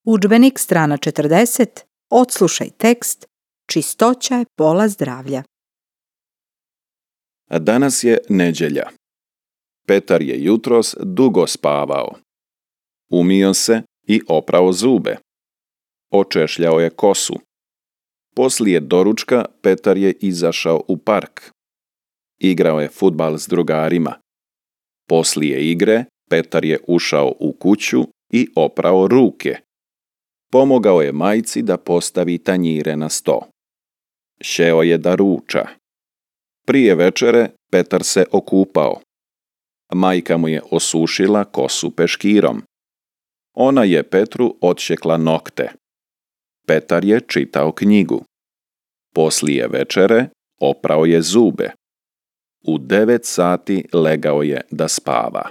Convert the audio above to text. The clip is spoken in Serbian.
Udžbenik strana 40. Odslušaj tekst. Čistoća je pola zdravlja. Danas je nedjelja. Petar je jutros dugo spavao. Umio se i oprao zube. Očešljao je kosu. Poslije doručka Petar je izašao u park. Igrao je fudbal s drugarima. Poslije igre Petar je ušao u kuću i oprao ruke. Pomogao je majci da postavi tanjire na sto. Šeo je da ruča. Prije večere Petar se okupao. Majka mu je osušila kosu peškirom. Ona je Petru odšekla nokte. Petar je čitao knjigu. Poslije večere oprao je zube. U 9 sati legao je da spava.